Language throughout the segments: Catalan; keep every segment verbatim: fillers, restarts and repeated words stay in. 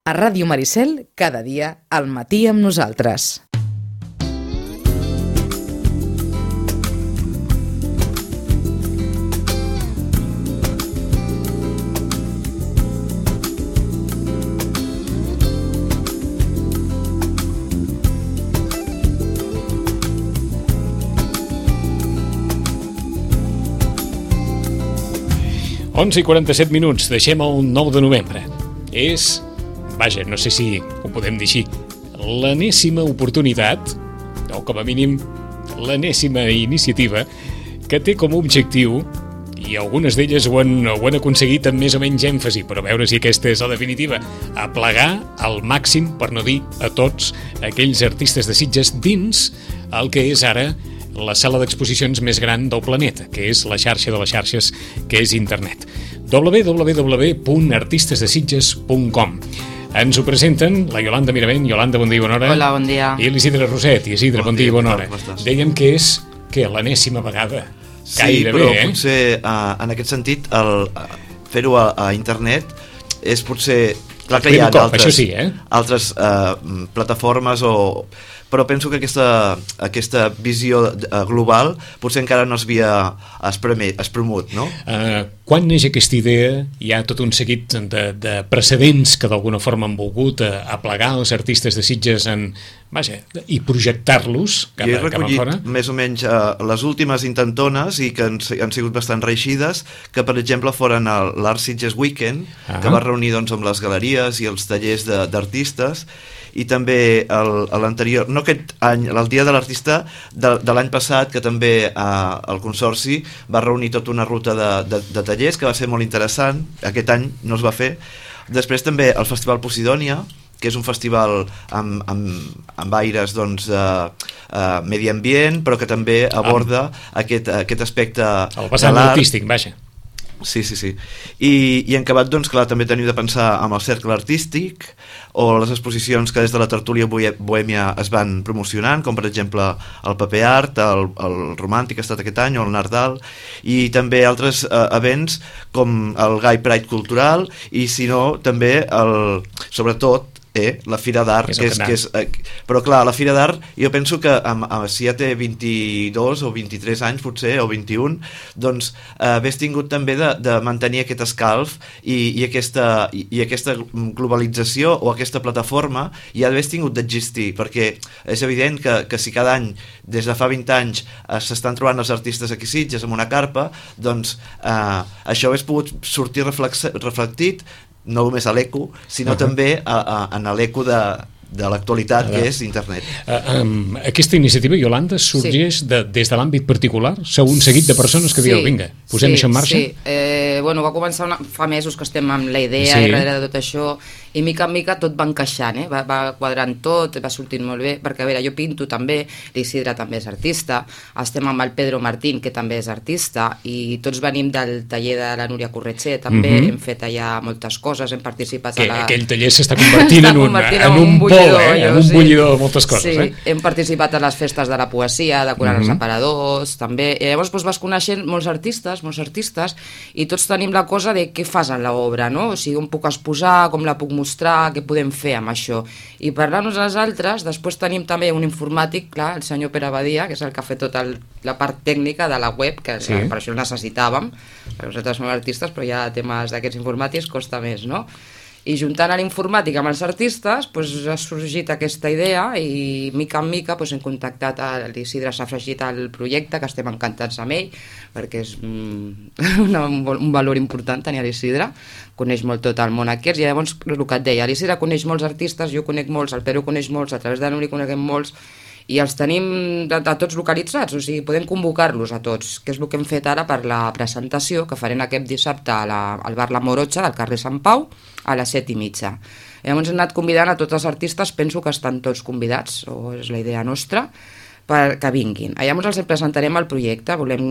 A Ràdio Maricel, cada dia, al matí amb nosaltres. onze i quaranta-set minuts, deixem el nou de novembre. És, vaja, no sé si ho podem dir així, l'enèsima oportunitat, o com a mínim l'enèsima iniciativa, que té com a objectiu, i algunes d'elles ho han, ho han aconseguit amb més o menys èmfasi, però a veure si aquesta és la definitiva, aplegar al màxim, per no dir a tots, aquells artistes de Sitges dins el que és ara la sala d'exposicions més gran del planeta, que és la xarxa de les xarxes, que és internet. w w w punt artistes de sitges punt com. Ens ho presenten la Iolanda Miravent. Iolanda, bon dia i bona hora. Hola, bon dia. I l'Isidre Roset. I Isidre, bon, bon dia i bona hora. Dèiem que és, que l'enèsima vegada. Sí, gairebé, però eh? potser uh, en aquest sentit el, uh, fer-ho a, a internet és potser... Clar que hi ha cop, altres, sí, eh? altres uh, plataformes o... però penso que aquesta, aquesta visió global potser encara no s'havia espremut, no? Uh, quan neix aquesta idea hi ha tot un seguit de, de precedents que d'alguna forma han volgut uh, aplegar els artistes de Sitges en, vaja, i projectar-los cap, Jo he cap a fora? més o menys uh, les últimes intentones i que han, han sigut bastant reeixides, que per exemple foren l'Art Sitges Weekend, uh-huh. que va reunir doncs, amb les galeries i els tallers d'artistes, i també l'anterior, no aquest any, el Dia de l'Artista de, de l'any passat, que també eh, el Consorci va reunir tota una ruta de, de, de tallers, que va ser molt interessant. Aquest any no es va fer. Després també el Festival Posidònia, que és un festival amb, amb, amb aires doncs, eh, eh, medi ambient, però que també aborda ah. aquest, aquest aspecte el vessant artístic, vaja. Sí, sí, sí. I, i en acabat, doncs, clar, també tenim de pensar amb el cercle artístic o les exposicions que des de la tertúlia bohèmia es van promocionant, com per exemple el Paper Art, el, el Romàntic ha estat aquest any, o el Nardal, i també altres eh, events com el Gai Pride Cultural, i si no, també, el, sobretot, Eh, la Fira d'Art, que és, que és, eh, però clar, la Fira d'Art jo penso que amb, amb, si ja té vint-i-dos o vint-i-tres anys potser, o vint-i-un, doncs eh, hagués tingut també de, de mantenir aquest escalf i, i, aquesta, i, i aquesta globalització o aquesta plataforma ja hagués tingut d'existir, perquè és evident que, que si cada any des de fa vint anys eh, s'estan trobant els artistes aquí Sitges amb una carpa, doncs eh, això hagués pogut sortir reflectit no només a l'eco, sinó uh-huh. també a, a, en l'eco de, de l'actualitat, uh-huh. que és internet. Uh, um, aquesta iniciativa, Iolanda, sorgeix sí. de, des de l'àmbit particular? Sou un seguit de persones que sí. dieu, vinga, posem sí, això en marxa? Sí, eh, bueno, va començar una, fa mesos que estem amb la idea sí. i darrere de tot això, i mica en mica tot va encaixant, eh? va, va quadrant tot, va sortint molt bé, perquè a veure, jo pinto també, l'Isidre també és artista, estem amb el Pedro Martín, que també és artista, i tots venim del taller de la Núria Corretxer, també, mm-hmm. hem fet allà moltes coses, hem participat que, a la... Aquell taller s'està convertint en un, convertint en un, un pol, eh? en un sí. bullidor de moltes coses. Sí, eh? hem participat a les festes de la poesia, decorant mm-hmm. els aparadors, també, i llavors doncs, vas coneixent molts artistes, molts artistes, i tots tenim la cosa de què fas en l'obra, no? O sigui, on puc exposar, com la puc mostrar, què podem fer amb això. I parlant-nos als altres, després tenim també un informàtic, clar, el senyor Pere Badia, que és el que ha fet tota el, la part tècnica de la web, que sí. per això necessitàvem, perquè nosaltres som artistes, però ja temes d'aquests informàtics costa més, no? I juntant a l'informàtic amb els artistes doncs, ha sorgit aquesta idea i mica en mica doncs, hem contactat a l'Isidre, s'ha afegit al projecte, que estem encantats amb ell perquè és mm, una, un valor important tenir l'Isidre, coneix molt tot el món aquest, i llavors el que et deia, l'Isidre coneix molts artistes, jo conec molts, el Pedro coneix molts, a través de l'Uri coneguem molts, i els tenim de, de tots localitzats, o sigui, podem convocar-los a tots, que és el que hem fet ara per la presentació que farem aquest dissabte a la, al bar La Morotxa del carrer Sant Pau a les set i mitja. Llavors hem anat convidant a tots els artistes, penso que estan tots convidats, o és la idea nostra, que vinguin. Llavors els presentarem el projecte, volem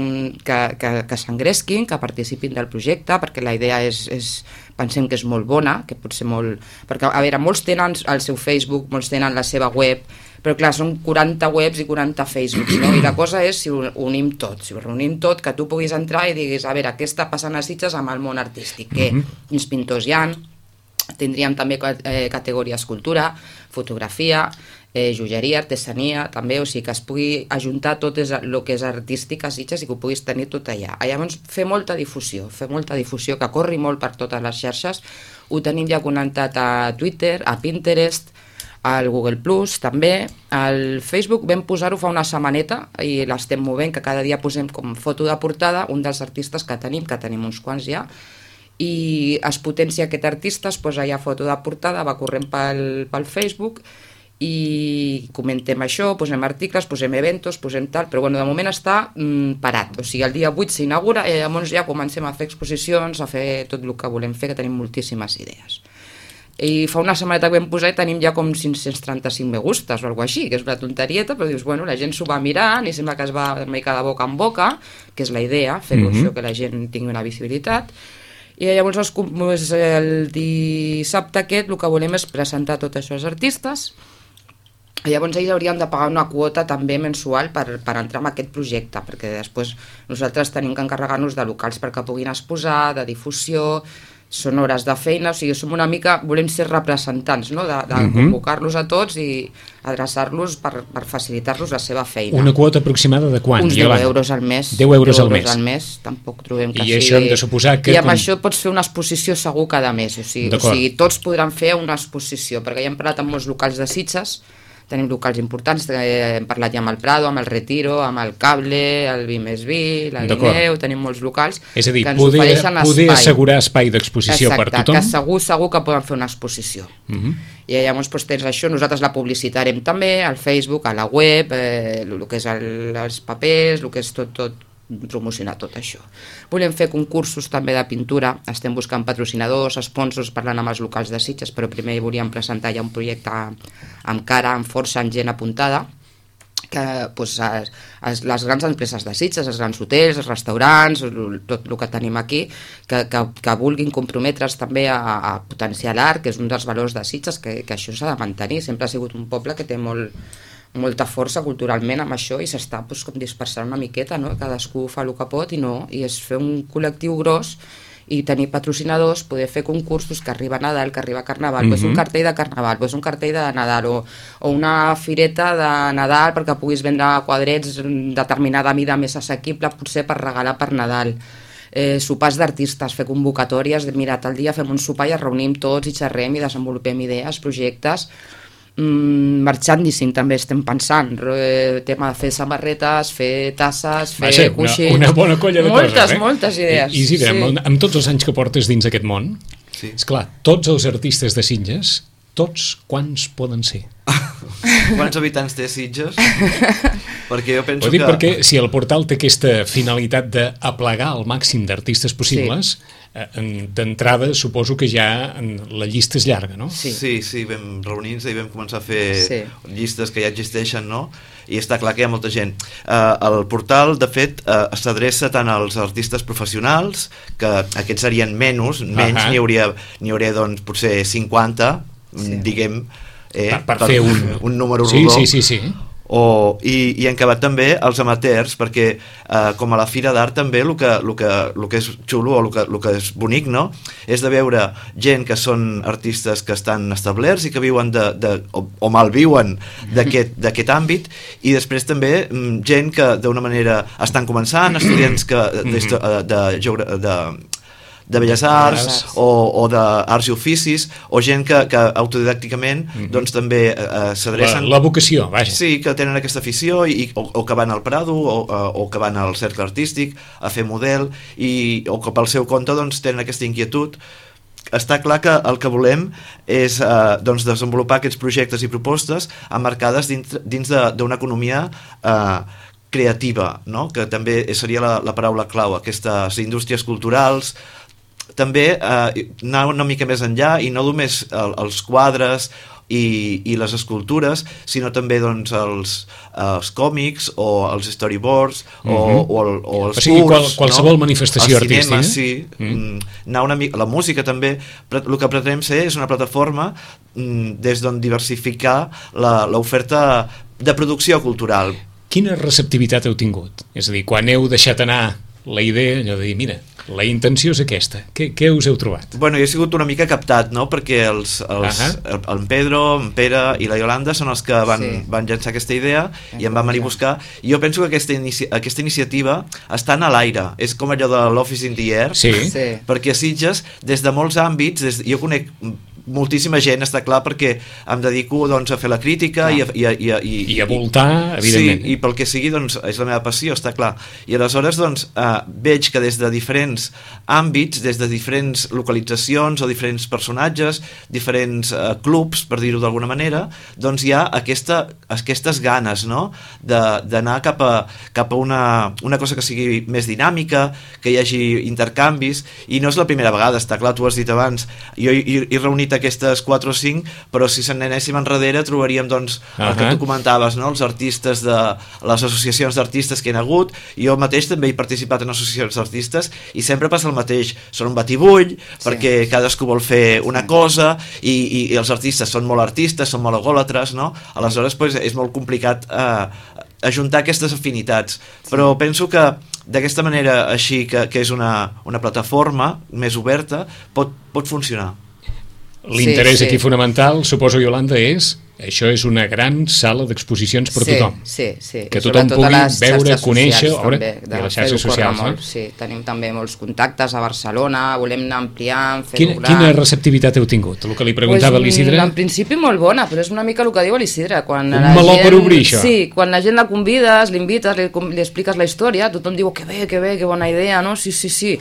que, que, que s'engresquin, que participin del projecte, perquè la idea és, és, pensem que és molt bona, que pot ser molt... Perquè, a veure, molts tenen el seu Facebook, molts tenen la seva web, però clar, són quaranta webs i quaranta Facebooks, no? I la cosa és si ho unim tot, si ho reunim tot, que tu puguis entrar i diguis, a veure, què està passant a Sitges amb el món artístic, què, quins pintors hi ha, Tindríem també eh, categories cultura, fotografia, eh, joieria, artesania, també, o sigui que es pugui ajuntar tot el que és artístic a Sitges i que ho puguis tenir tot allà. Llavors, fer molta difusió, fer molta difusió, que corri molt per totes les xarxes. Ho tenim ja connectat a Twitter, a Pinterest, al Google Plus, també. Al Facebook vam posar-ho fa una setmaneta i l'estem movent, que cada dia posem com foto de portada un dels artistes que tenim, que tenim uns quants ja, i es potencia aquest artista, es posa ja foto de portada, va corrent pel, pel Facebook i comentem això, posem articles, posem eventos, posem tal, però bueno, de moment està mm, parat, o sigui, el dia vuit s'inaugura i llavors ja comencem a fer exposicions, a fer tot el que volem fer, que tenim moltíssimes idees. I fa una setmaneta que vam posar i tenim ja com cinc-cents trenta-cinc me gustes o alguna així, que és una tonterieta, però dius, bueno, la gent s'ho va mirant i sembla que es va una mica de boca en boca, que és la idea, fer-ho mm-hmm. això, que la gent tingui una visibilitat. I llavors el dissabte aquest el que volem és presentar tot això als artistes. Llavors ells haurien de pagar una quota també mensual per, per entrar en aquest projecte, perquè després nosaltres tenim que encarregar-nos de locals perquè puguin exposar, de difusió, són hores de feina, o sigui, som una mica, volem ser representants, no? de, de uh-huh. convocar-los a tots i adreçar-los per, per facilitar-los la seva feina. Una quota aproximada de quant? Uns deu euros al mes. deu euros al mes. al mes, tampoc trobem que I sigui... això hem de suposar que... I amb com... això pots fer una exposició segur cada mes, o sigui, o sigui, tots podran fer una exposició, perquè ja hem parlat amb molts locals de Sitges, tenim locals importants, hem parlat ja amb el Prado, amb el Retiro, amb el Cable, el Vi més Vi, la Guineu, tenim molts locals és a dir, que ens poder, ofereixen poder espai. assegurar espai d'exposició per tothom. Exacte, que segur, segur que poden fer una exposició. Uh-huh. I llavors doncs, tens això, nosaltres la publicitarem també al Facebook, a la web, eh, el que és el, els papers, el que és tot, tot promocionar tot això. Volem fer concursos també de pintura, estem buscant patrocinadors, sponsors, parlant amb els locals de Sitges, però primer volíem presentar ja un projecte amb cara, amb força, amb gent apuntada, que doncs, es, es, les grans empreses de Sitges, els grans hotels, els restaurants, tot el que tenim aquí, que, que, que vulguin comprometre's també a, a potenciar l'art, que és un dels valors de Sitges, que, que això s'ha de mantenir. Sempre ha sigut un poble que té molt molta força culturalment amb això i s'està doncs, com dispersant una miqueta, no? Cadascú fa el que pot i no, i és fer un col·lectiu gros i tenir patrocinadors, poder fer concursos que arriba Nadal, que arriba Carnaval, mm-hmm. pues un cartell de Carnaval, pues un cartell de Nadal o, o una fireta de Nadal perquè puguis vendre quadrets determinada mida més assequible, potser per regalar per Nadal. Eh, sopars d'artistes, fer convocatòries, mira, tal dia fem un sopar i ens reunim tots i xerrem i desenvolupem idees, projectes. Mm, merchandising també estem pensant, eh, tema de fer samarretes, fer tasses, fer Vaja, coixins, una, una bona colla de moltes, coses, eh? moltes idees. I, i Isidre, sí. amb, amb tots els anys que portes dins aquest món, sí. esclar, tots els artistes de Sitges, tots quants poden ser? Quants habitants té Sitges? Perquè jo penso Ho dic que... perquè si el portal té aquesta finalitat d'aplegar el màxim d'artistes possibles, sí. eh, d'entrada suposo que ja la llista és llarga, no? Sí, sí, sí vam reunir-nos i vam començar a fer sí. llistes que ja existeixen, no? I està clar que hi ha molta gent. Uh, el portal, de fet, uh, s'adreça tant als artistes professionals, que aquests serien menys, menys, uh-huh. n'hi hauria, n'hi hauria doncs, potser cinquanta, sí. diguem, eh, per, per, per fer un, un número sí, rodó. Sí, sí, sí. O, i, i han acabat també els amateurs, perquè eh, com a la Fira d'Art també el que, el que, el que és xulo o el que, el que és bonic, no? És de veure gent que són artistes que estan establerts i que viuen de, de, o, o malviuen d'aquest àmbit, i després també gent que d'una manera estan començant, estudiants que, de, de, de, de, de de Belles Arts o, o d'Arts i Oficis, o gent que, que autodidàcticament mm-hmm. doncs també eh, s'adrecen... La, la vocació, vaja. Sí, que tenen aquesta afició i, o, o que van al Prado o, o que van al cercle artístic a fer model i, o que pel seu compte doncs, tenen aquesta inquietud. Està clar que el que volem és eh, doncs, desenvolupar aquests projectes i propostes emmarcades dins, dins d'una economia eh, creativa, no? Que també seria la, la paraula clau, aquestes indústries culturals, també eh, anar una mica més enllà i no només el, els quadres i, i les escultures, sinó també doncs, els, els còmics o els storyboards o, mm-hmm. o, el, o els o sigui, curts, qual, qualsevol no? manifestació el cinema, artística. Sí, mm. anar una mica, la música també, el que pretenem ser és una plataforma mm, des d'on diversificar l'oferta de producció cultural. Quina receptivitat heu tingut? És a dir, quan heu deixat anar la idea, allò de dir, mira, La intenció és aquesta. Què, què us heu trobat? Bueno, jo he sigut una mica captat, no? Perquè els, els, uh -huh. el, el Pedro, en Pere i la Iolanda són els que van, sí. van llançar aquesta idea i em van venir a buscar. I jo penso que aquesta, inici aquesta iniciativa està a l'aire. És com allò de l'Office in the Air. Sí. Sí. Perquè a Sitges, des de molts àmbits, des, jo conec moltíssima gent, està clar, perquè em dedico doncs, a fer la crítica i a, i, a, i, a, i, I a voltar, evidentment. Sí, i pel que sigui, doncs, és la meva passió, està clar. I aleshores doncs, eh, veig que des de diferents àmbits, des de diferents localitzacions o diferents personatges, diferents eh, clubs, per dir-ho d'alguna manera, doncs hi ha aquesta, aquestes ganes, no?, d'anar cap a, cap a una, una cosa que sigui més dinàmica, que hi hagi intercanvis, i no és la primera vegada, està clar, tu has dit abans, jo he, he reunit aquestes quatre o cinc, però si se'n anéssim enrere trobaríem doncs el uh -huh. que tu comentaves, no? Els artistes de les associacions d'artistes que hi ha hagut. Jo mateix també he participat en associacions d'artistes i sempre passa el mateix, són un batibull, sí. perquè cadascú vol fer una cosa i, i, i els artistes són molt artistes, són molt egòlatres, no? Aleshores pues, és molt complicat eh, ajuntar aquestes afinitats, sí. però penso que d'aquesta manera així, que, que és una, una plataforma més oberta, pot, pot funcionar. L'interès sí, sí. aquí fonamental, suposo, Iolanda, és això és una gran sala d'exposicions per sí, tothom. Sí, sí. Que tothom pugui veure, conèixer... També, i les xarxes socials, no? Molt, sí, tenim també molts contactes a Barcelona, volem anar ampliant, fer-ho Quina, gran. quina receptivitat heu tingut? El que li preguntava pues, l'Isidre? En principi molt bona, però és una mica el que diu l'Isidre. Un meló gent, per obrir, això. Sí, quan la gent la convides, l'invites, li, li expliques la història, tothom diu que bé, que bé, que bona idea, no? Sí, sí, sí.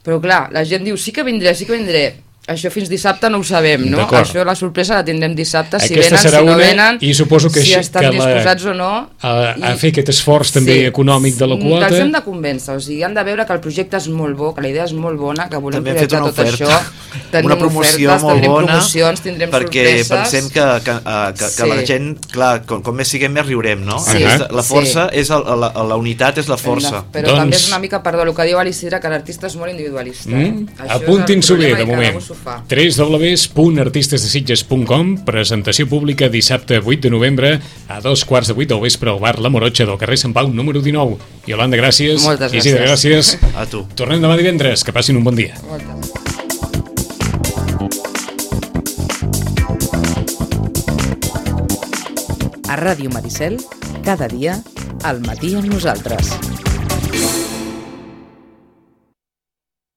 Però clar, la gent diu sí que vindré, sí que vindré. Això fins dissabte no ho sabem, no? Això la sorpresa la tindrem dissabte, si Aquesta venen, si no venen, i suposo que si estan que disposats o no. A, a I, fer aquest esforç també sí, econòmic de la quota. Els hem de convèncer, o sigui, han de veure que el projecte és molt bo, que la idea és molt bona, que volem també projectar tot oferta. això. Tenim una promoció ofertes, molt tindrem bona, promocions, tindrem perquè sorpreses. pensem que, que, que, que sí. la gent, clar, com, com més siguem més riurem, no? Sí. Aquesta, la força, sí. és el, la, la unitat és la força. De, però doncs... també és una mica, perdó, el que diu l'Isidre, que l'artista és molt individualista. Mm? Apuntin-s'ho bé, de moment. w w w punt artistes de sitges punt com, presentació pública dissabte vuit de novembre a dos quarts de vuit del vespre al bar La Morotxa del carrer Sant Pau número dinou. Iolanda, gràcies. Moltes gràcies. Isidre, gràcies. A tu. Tornem demà divendres, que passin un bon dia. Moltes. A Ràdio Maricel, cada dia, al matí amb nosaltres.